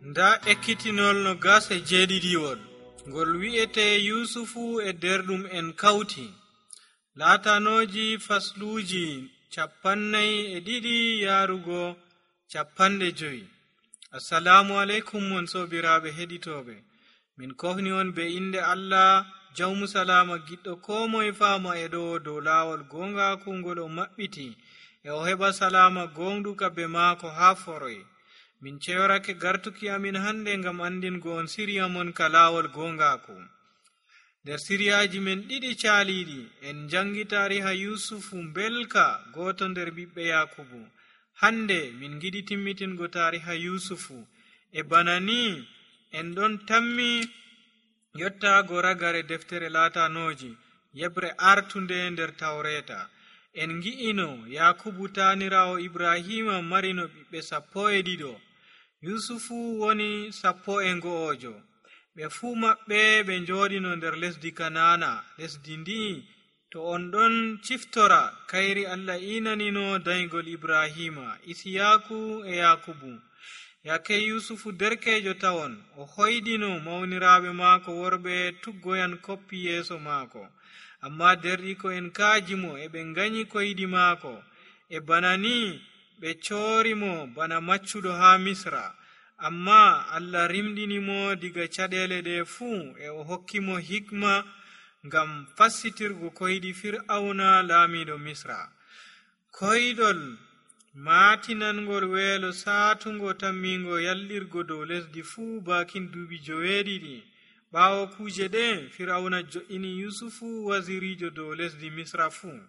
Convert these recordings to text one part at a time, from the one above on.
nda ekkitinol no gase jeeɗiɗiwol ngol wi'ete yusufu e derɗum en kawti. Laatanoji fasluuji 42 yarugo 50. Assalamu alaikum mon sobiraɓe heɗitoɓe. Min kohni on be inde Allah jawmu salama giɗɗo ko moye fama e ɗo dow laawol gongaku ngol o maɓɓiti e o heɓa salama gonduka be maako ha foroy. Min ceyorake gartuki amin hande ngam andingo on siriya mon ka laawol gongaku. Nder siriyaji men ɗiɗi caaliɗi en jangi tariha yusufu belka, goto nder ɓiɓɓe yakubu. Hande min giɗi timmitingo tariha yusufu e bana ni en ɗon tammi yottago ragare deftere laatanoji yebre artunde nder tawreta. En gi'ino yakubu tanirawo ibrahima marino ɓiɓɓe 12. yusufu woni 11. ɓe fuu maɓɓe ɓe njoɗino nder lesdi kanana. Lesdi ndi to on ɗon ciftora kayri Allah inanino daygol ibrahima, isiyaku e yakubu. Yake yusufu derkejo tawon o hoydino mawniraɓe maako worɓe tuggoyan koppi yeeso maako, amma derɗiko en kaajimo e ɓe ganyi koyɗi maako. E bana ni ɓe coorimo bana maccuɗo ha misra, amma Allah rimɗinimo diga caɗele ɗe fuu e o hokkimo hikma ngam fassitirgo koyɗi fir'auna laamiɗo misra. Koyɗol maatinangol weelo saatungo tammingo yallirgo dow lesdi fuu bakin duuɓi 7. ɓaawo kuuje ɗe fir'auna jo'ini yusufu wasirijo dow lesdi misra fuu.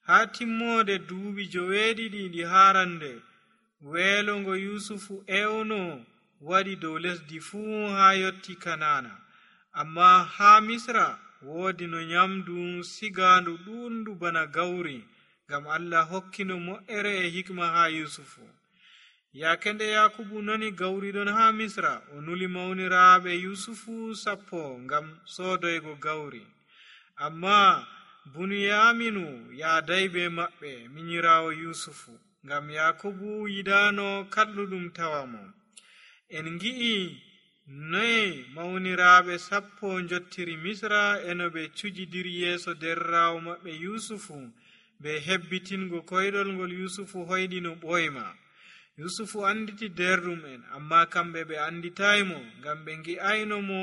Ha timmode duuɓi 7 ɗi harande weelo ngo yusufu ewno waɗi dow lesdi fuu ha yotti kanana, amma ha misra woodi no nyamdu sigandu ɗundu bana gawri, ngam Allah hokkino mo'ere e hikma ha yusufu. Yake nde yakubu nani gawri ɗon ha misra, o nuli mawniraɓe yusufu 10 ngam sodoygo gawri, amma buniyaminu yaaday be maɓɓe minyirawo yusufu, ngam yakubu yidano kalluɗum tawamo. En gi'i noye mawniraɓe 10 jottiri misra eno ɓe cujidiri yeeso derrawo maɓɓe yusufu be hebbitingo koyɗol ngol yusufu hoyɗino ɓoyma. yusufu anditi derɗum en, amma kamɓe ɓe anditaymo ngam ɓe gi'ayno mo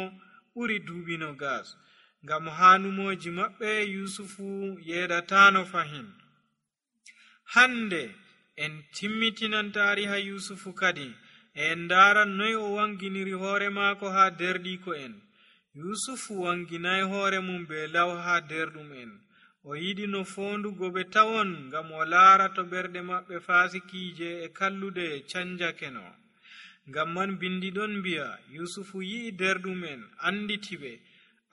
ɓuri duuɓi 20. ngam hanumoji maɓɓe yusufu yeɗatano fahin. Hande en timmitinan tariha yusufu kadi en ndaran noy o wanginiri hoore maako ha derɗiko en. yusufu wanginay hoore mum be law ha derɗum en. O yiɗi no fondugo ɓe tawon ngam o laara to ɓerɗe maɓɓe fasikije e kallude canjakeno. Ngam man bindi ɗon mbi'a yusufu yi'i derɗum en anditiɓe,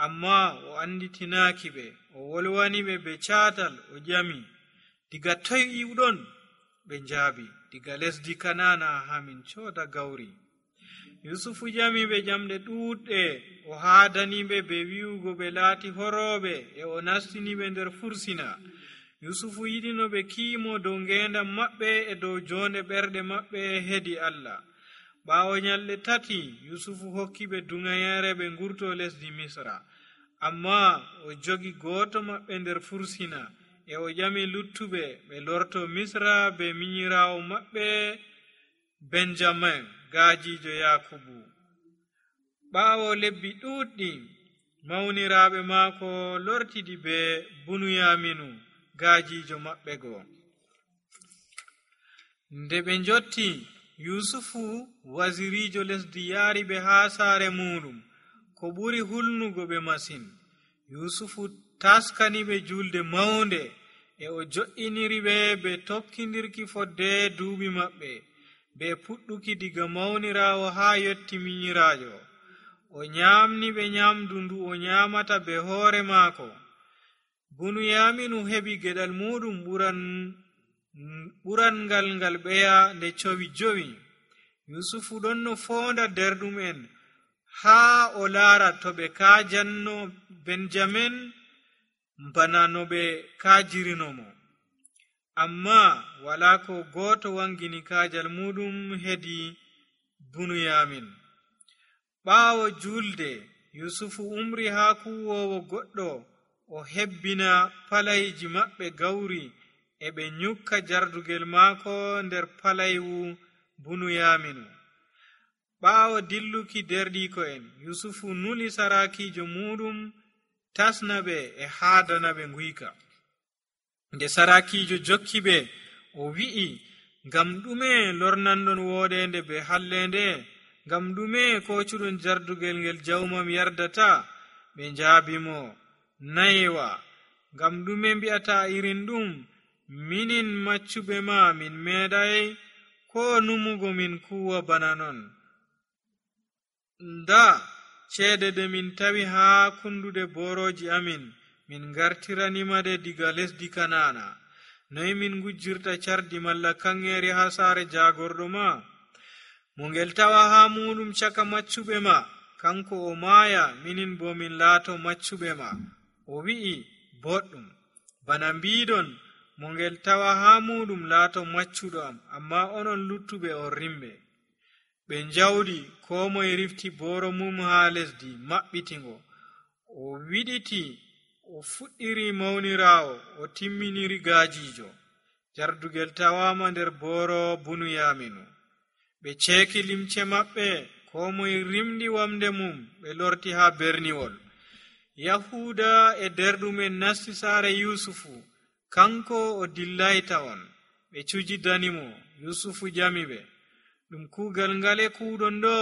amma o anditinaaki ɓe. O wolwani ɓe be caatal, o ƴami, diga toy iwɗon? Ɓe njaabi, diga lesdi kanana ha min cooda gawri. yusufu ƴami ɓe ƴamɗe ɗuuɗɗe, o haadaniɓe be wi'ugo ɓe laati horooɓe, e o nastiniɓe nder fursina. yusufu yiɗino ɓe kiimo dow ngendam maɓɓe e dow jonde ɓerɗe maɓɓe hedi Allah. ɓaawo nyalɗe 3 yusufu hokki ɓe dungayere ɓe ngurto lesdi misra, amma o jogi goto maɓɓe nder fursina, e o ƴami luttuɓe ɓe lorto misra be minyirawo maɓɓe benjamin, gaajijo yakubu. ɓaawo lebbi ɗuɗɗi mawniraɓe maako lortidi be bunuyaminu, gaajijo maɓɓe goo. Nde ɓe njotti, yusufu wasirijo lesdi yaari ɓe ha saare muɗum ko ɓuri hulnugo ɓe masin. yusufu taskani ɓe julde mawnde, e o jo'iniri ɓe be tokkidirki fodde duuɓi maɓɓe, be puɗɗuki diga mawnirawo ha yotti minyirajo. o nyamni ɓe nyamdu ndu o nyamata be hoore maako. bunuyaminu heɓi geɗal muɗum ɓurangal ngal ɓeya nde cowi 5. yusufu ɗon no fonda derɗum en ha o laara to ɓe kaajanno benjamin bana no ɓe kaajirinomo, amma wala ko goto wangini kaajal muɗum hedi Bunyamin. Ɓaawo julde Yusufu umri haa kuwoowo goɗɗo o hebbina palayji maɓɓe gawri e ɓe nyukka jardugel maako nder palaywu Bunyaminu. Ɓaawo dilluki derɗiiko'en, Yusufu nuli sarakiijo muɗum tasna ɓe e haadana ɓe nguyka. Nde sarakiijo jokki ɓe, o wi'i, ngam ɗume lornanɗon wooɗende be hallende? Ngam ɗume kocuɗon jardugel ngel jawmam yardata? Ɓe njaabimo, nayewa, ngam ɗume mbi'ata irin ɗum? Minin maccuɓe ma min meeɗay ko numugo min kuwa bana non. Nda ceede de min tawi haa kundude boroji amin, min gartiranimade diga lesdi Kanana. Noy min ngujjirta cardi malla kangeeri haa saare jagorɗo ma? Mo ngel tawa haa muɗum caka maccuɓe ma, kanko o maaya, minin bo min laato maccuɓe ma. O wi'i, boɗɗum. Bana mbiɗon, mo ngel tawa haa muɗum laato maccuɗo am, amma onon luttuɓe on rimɓe. Ɓe njawdi, ko moye rifti boro mum haa lesdi maɓɓitingo. O wiɗiti, o fuɗɗiri mawniraawo, o timminiri gaajiijo. Jardugel tawama nder boro Bunyaminu. Ɓe ceeki limce maɓɓe, ko moye rimɗi wamde mum, ɓe lorti haa berniwol. Yahuda e derɗumen nasti saare Yusufu, kanko o dillayta on. Ɓe cujidanimo. Yusufu ƴami ɓe, ɗum kuugal ngale kuuɗon ɗo?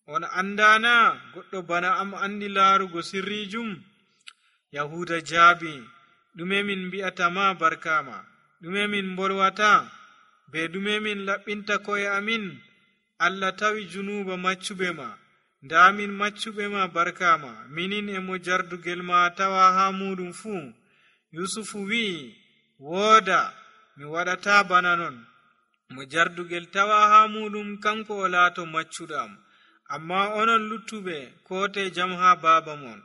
On andana goɗɗo bana am andi laarugo sirrijum? Yahuda jaabi, ɗume min mbi'atama barkama? ɗume min mbolwata? Be ɗume min laɓɓinta ko'e amin? Allah tawi junuba maccuɓe ma. Nda min maccuɓe ma barkama, minin e mo jardugel ma tawa haa muɗum fuu. Yusufu wi'i, wooda, mi waɗata bana non. Mo jardugel tawa haa muɗum kanko o laato maccuɗo am, amma onon luttuɓe kote jam haa baaba mon.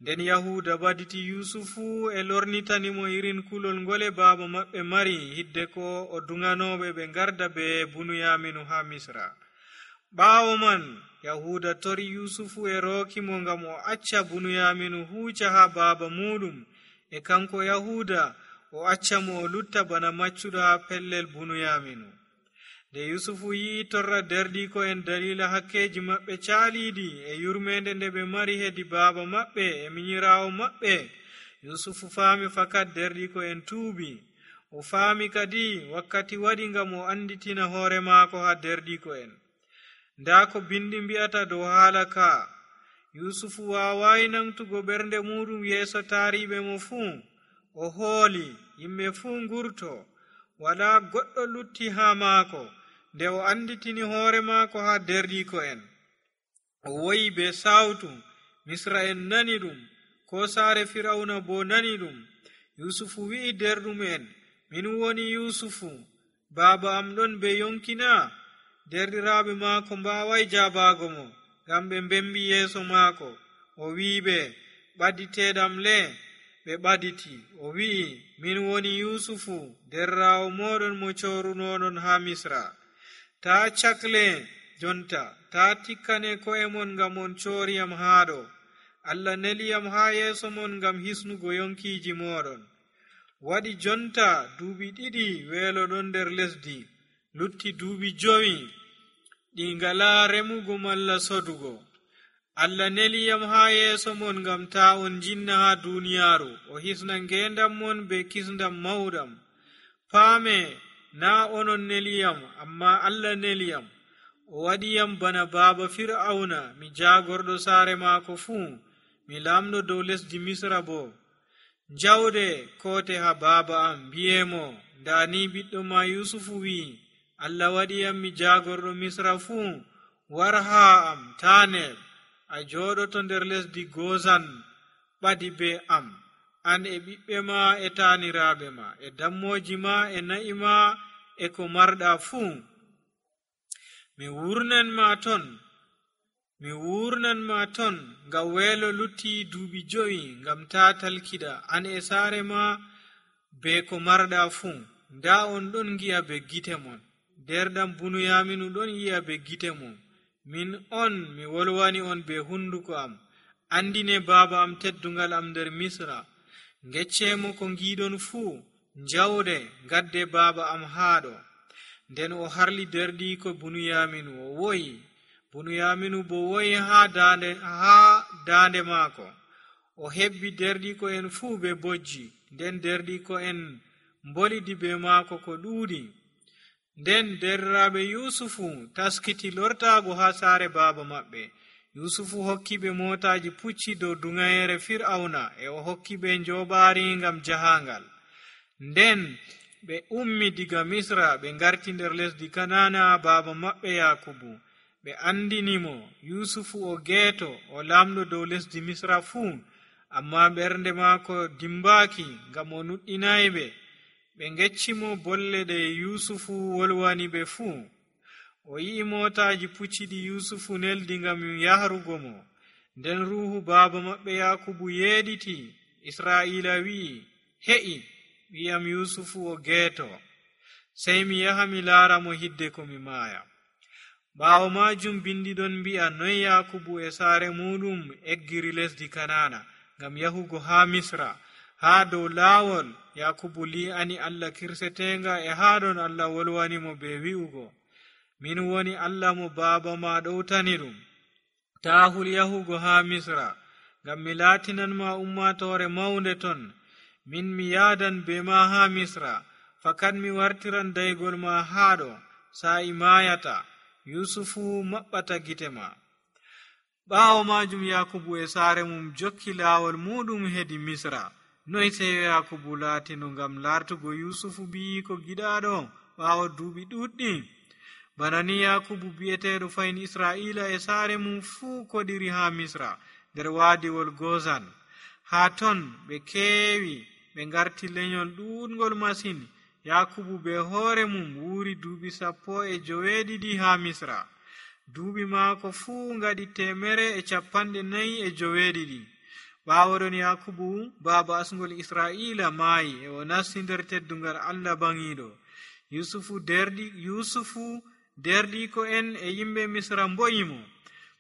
Nden Yahuda baditi Yusufu e lornitanimo irin kulol ngole baaba maɓɓe mari hidde ko o dunganoɓe ɓe garda be Bunyaminu haa Misra. Ɓaawo man Yahuda tori Yusufu e rookimo ngam o acca Bunyaminu huuca haa baaba muɗum, e kanko Yahuda o acca mo o lutta bana maccuɗo haa pellel Bunyaminu. Nde Yusufu yi'i torra derɗiiko'en dalila hakkeji maɓɓe caaliiɗi e yurmende nde ɓe mari hedi baaba maɓɓe e minyiraawo maɓɓe, Yusufu faami fakat derɗiiko'en tuubi. O faami kadi wakkati waɗi ngam o anditina hoore maako haa derɗiiko'en. Nda ko bindi mbi'ata dow haala ka, Yusufu waawayi nangtugo ɓernde muɗum yeeso taariɓe mo fuu. O hooli, yimɓe fuu ngurto, walaa goɗɗo lutti haa maako. Nde o anditini hoore maako haa derɗiiko'en, o woyi be sawtu. Misra'en nani ɗum, ko saare Firawna bo nani ɗum. Yusufu wi'i derɗum'en, min woni Yusufu, baaba am ɗon be yonkina? Derɗiraaɓe maako mbaaway jaabago mo, ngam ɓe mbembi yeeso maako. O wi'iɓe, ɓaditeeɗam le? Ɓe ɓaditi. O wi'i, min woni Yusufu, derraawo moɗon mo corunoɗon haa Misra. Taa cakle jonta, taa tikkane ko'e mon ngam on cooriyam haaɗo. Allah neliyam haa yeeso mon ngam hisnugo yonkiiji moɗon. Waɗi jonta duuɓi 2 weeloɗon nder lesdi, lutti duuɓi 5 ɗi ngalaa remugo malla sodugo. Allah neliyam haa yeeso mon ngam taa on jinna haa duuniyaaru, o hisna ngeendam mon be kisndam mawɗam. Paame, naa onon neliyam, amma Allah neliyam. O waɗiyam bana baaba Fir'auna, mi jaagorɗo saare maako fuu, mi laamɗo dow lesdi Misra bo. Jawde koote haa baaba am, mbi'emo, ndaani ɓiɗɗo ma Yusufu wi'i, Allah waɗiyam mi jaagorɗo Misra fuu. War haa am, taa neɓ. A jooɗoto nder lesdi Gozan, ɓadi be am, an e ɓiɓɓe ma e taaniraaɓe ma, e dammoji ma e na'i ma e ko marɗa fuu. Mi wurnan ma ton ngam weelo lutti duuɓi 5 ngam taa talkiɗa an e saare ma be ko marɗa fuu. Nda on ɗon gi'a be gite mon, nder ɗam Bunuyaminu ɗon yi'a be gite mum, min on mi wolwani on be hunduko am, andine baaba am teddungal am nder Misra. Geccemo ko giɗon fuu, njawde gadde baaba am haɗo. Nden o harli derɗiko Bunuyaminu o woyi. Bunuyaminu bo woyi ha dande maako. O hebbi derɗiko en fuu be bojji, nden derɗiko en mbolidi be maako ko ɗuuɗi. Nden derraaɓe Yusufu taskiti lortaago ha saare baaba maɓɓe. Yusufu hokki ɓe motaji pucci dow dungayere Fir'auna, e o hokki ɓe njoɓaari ngam jahangal. Nden ɓe ummi diga Misra ɓe ngarti nder lesdi Kanana baaba maɓɓe Yakubu. Ɓe andinimo Yusufu o geeto, o lamɗo dow lesdi Misra fuu, amma ɓernde maako dimbaaki ngam o nuɗɗinayɓe. Ɓe geccimo bolle ɗe Yusufu wolwani ɓe fuu. O yi'i motaji pucciɗi Yusufu neldi ngam yahrugo mo. Nden ruuhu baaba maɓɓe Yakubu yeeɗiti. Israa'ila wi'i, he'i, wi'am Yusufu o geeto. Sey mi yaha mi laara mo hidde ko mi maaya. Ɓaawo majum bindi ɗon mbi'a noy Yakubu e saare muɗum eggiri lesdi Kanana ngam yahugo ha Misra. Ha dow laawol Yakubu li'ani Allah kirsetenga, e ha ɗon Allah wolwani mo be wi'ugo, min woni Allah mo baaba ma ɗowtani ɗum. Ta hul yahugo ha Misra, ngam mi laatinanma ummatore maunde ton. Min mi yaadan be ma ha Misra, fakat mi wartiran daygol ma haɗo, sa'i maayata. Yusufu maɓɓata gite ma. Ɓaawo majum Yakubu e saare mum jokki laawol muɗum hedi Misra. Noy seyo Yakubu laatino ngam lartugo Yusufu biyiko giɗaɗo ɓaawo duuɓi ɗuɗɗi? Bana ni Yakubu bi'eteɗo fayin Israa'ila e saare mum fuu koɗiri ha Misra nder waadiwol Gozan. Ha ton ɓe keewi, ɓe ngarti lenyol ɗuɗngol masin. Yakubu be hoore mum wuuri duuɓi 17 ha Misra. Duuɓi maako fuu ngaɗi 142. Ɓaawo ɗon Yakubu baaba asngol Israa'ila maayi, e o nasti nder teddungal Allah bangiɗo. Yusufu derɗiko en e yimɓe Misra mboyimo.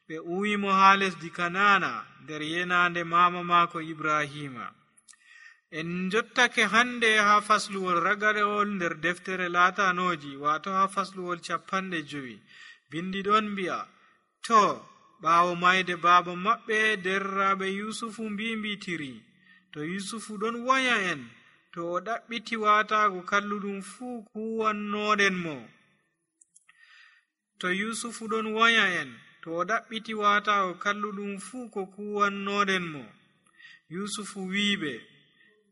Ɓe uwimo ha lesdi Kanana nder yenande mama maako Ibrahima. En jottake hande ha fasluwol ragarewol nder deftere laatanoji, wato ha fasluwol 50. Bindi ɗon mbi'a, to ɓaawo mayde baaba maɓɓe derraɓe Yusufu mbimbitiri, to Yusufu ɗon waya en, to o ɗaɓɓiti watago kalluɗum fuu kuwannoɗen mo. To Yusufu ɗon waya en, to o ɗaɓɓiti watago kalluɗum fuu ko kuwannoɗen mo. Yusufu wiiɓe,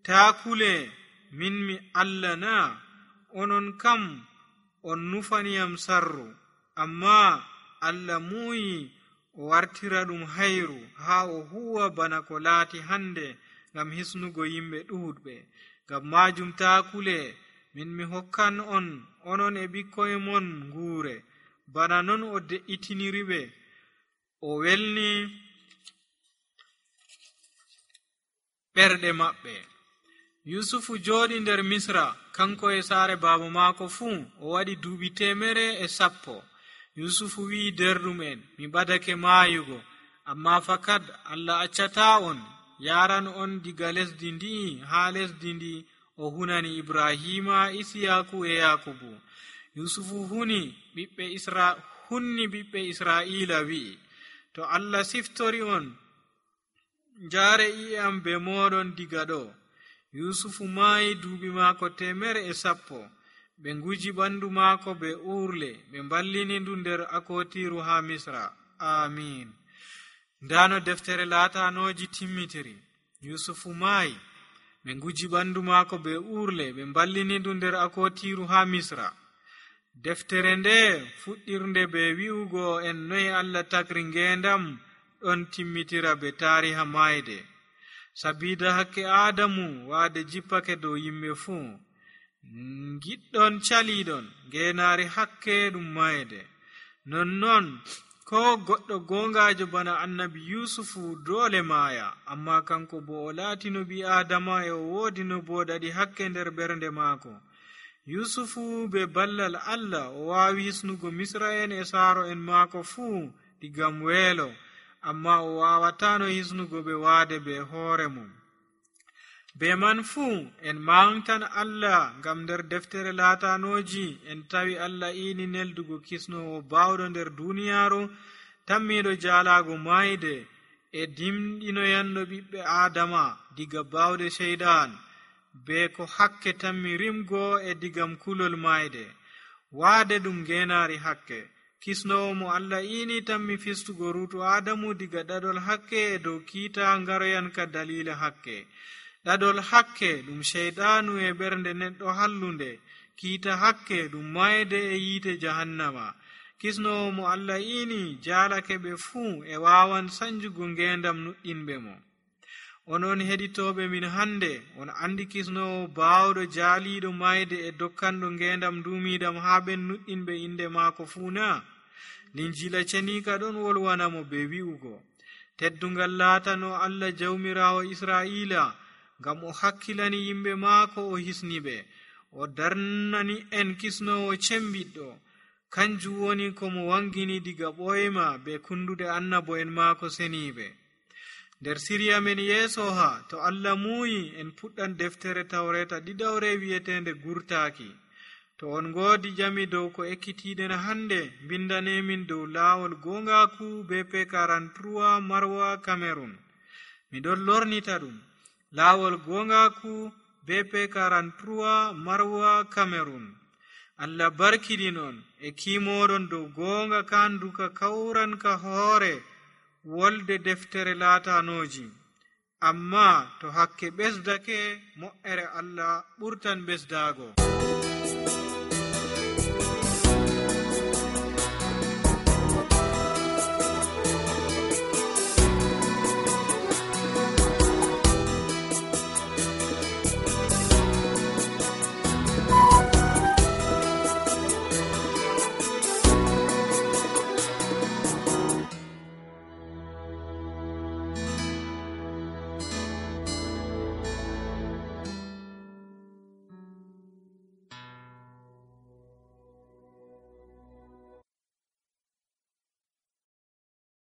taakule, min mi Allah na, onon kam on nufaniyam sarru, amma Allah muuyi o wartira ɗum hayru ha o huwa bana ko laati hande ngam hisnugo yimɓe ɗuɗɓe. Ngam majum taakule, min mi hokkan on, onon e ɓikkoye mon nguure, bana non o de'itiniriɓe, o welni ɓerɗe maɓɓe. Yusufu jooɗi nder Misra, kanko e saare baaba maako fuu, o waɗi duuɓi 110. Yusufu wi'i derɗum en, mi ɓadake maayugo, amma fakat Allah accata on, yaran on diga lesdi ndi ha lesdi ndi o hunani Ibrahima, Isiyaku e Yakubu. Yusufu hunni ɓiɓɓe Israa'ila wi'i, to Allah siftori on, njaare i'e am be moɗon diga ɗo. Yusufu maayi duuɓi maako 110. Ɓe nguji ɓandu maako be urle, ɓe mballini ndu nder akotiru ha Misra. Amin. Ndano deftere laatanoji timmitiri. Yusufu maayi, ɓe nguji ɓandu maako be urle, ɓe mballini ndu nder akotiru ha Misra. Deftere nde fuɗɗirnde be wi'ugo en noy Allah tagri ngendam ɗon timmitira be tariha mayde. Sabida hakke Adamu waade jippake dow yimɓe fuu, giɗɗon caliɗon ngenaari hakke ɗum mayde. Nonnon ko goɗɗo gongajo bana annabi Yusufu dole maaya, amma kanko bo o laatino ɓi Adama, e o woodi no boɗaɗi hakke nder ɓernde maako. yusufu be ballal allah o waawi hisnugo misra'en e saaro en maako fuu digam weelo, amma o waawatano hisnugo ɓe waade be hoore mum. Be man fuu en mawntan allah ngam nder deftere laatanooji en tawi allah iini neldugo kisnowo baawɗo nder duuniyaaru tammiiɗo jaalaago maayde e dimɗinoyanɗo ɓiɓɓe aadama diga baawɗe ceyɗan, be ko hakke tammi rimgo e digam kulol maayde waade ɗum ngeenaari hakke. Kisnowo mo allah iini tammi fistugo ruutu aadamu diga ɗaɗol hakke e dow kiita ngaroyanka daliila hakke. ɗaɗol hakke ɗum ceyɗaanu e ɓernde neɗɗo hallunde, kiita hakke ɗum maayde e yiite jahannama. Kisnowo mo allah iini jaalake ɓe fuu e waawan sanjugo ngeendam nuɗɗinɓe mo. Onon heɗitooɓe min hannde, on andi kisnowo baawɗo jaaliiɗo maayde e dokkanɗo ngeendam duumiidam haa ɓen nuɗɗinɓe inde maako fuu na? Linjiila ceniika ɗon wolwanamo be wi'ugo, teddungal laatano allah jawmiraawo israa'iila, ngam o hakkilani yimɓe maako o hisniɓe, o darnani en kisnowo cembiɗɗo. Kanjum woni ko mo wangini diga ɓoyma be kundude annabo'en maako seniiɓe. Nder siriya men yeeso ha, to allah muuyi en puɗɗan deftere tawreta ɗiɗawre wi'etende gurtaaki. To on ngoodi jami dow ko ekkitiɗen hannde, mbindanemin dow laawol gongaku BP 43 Marwa Cameroon. Miɗon lornita ɗum, laawol gongaku BP 43 Marwa Cameroon. Allah barkiɗin on e kiimoɗon dow goonga kanduka kawranka hoore wolde deftere laatanooji. Amma to hakke ɓesdake, mo'ere Allah ɓurtan ɓesdaago.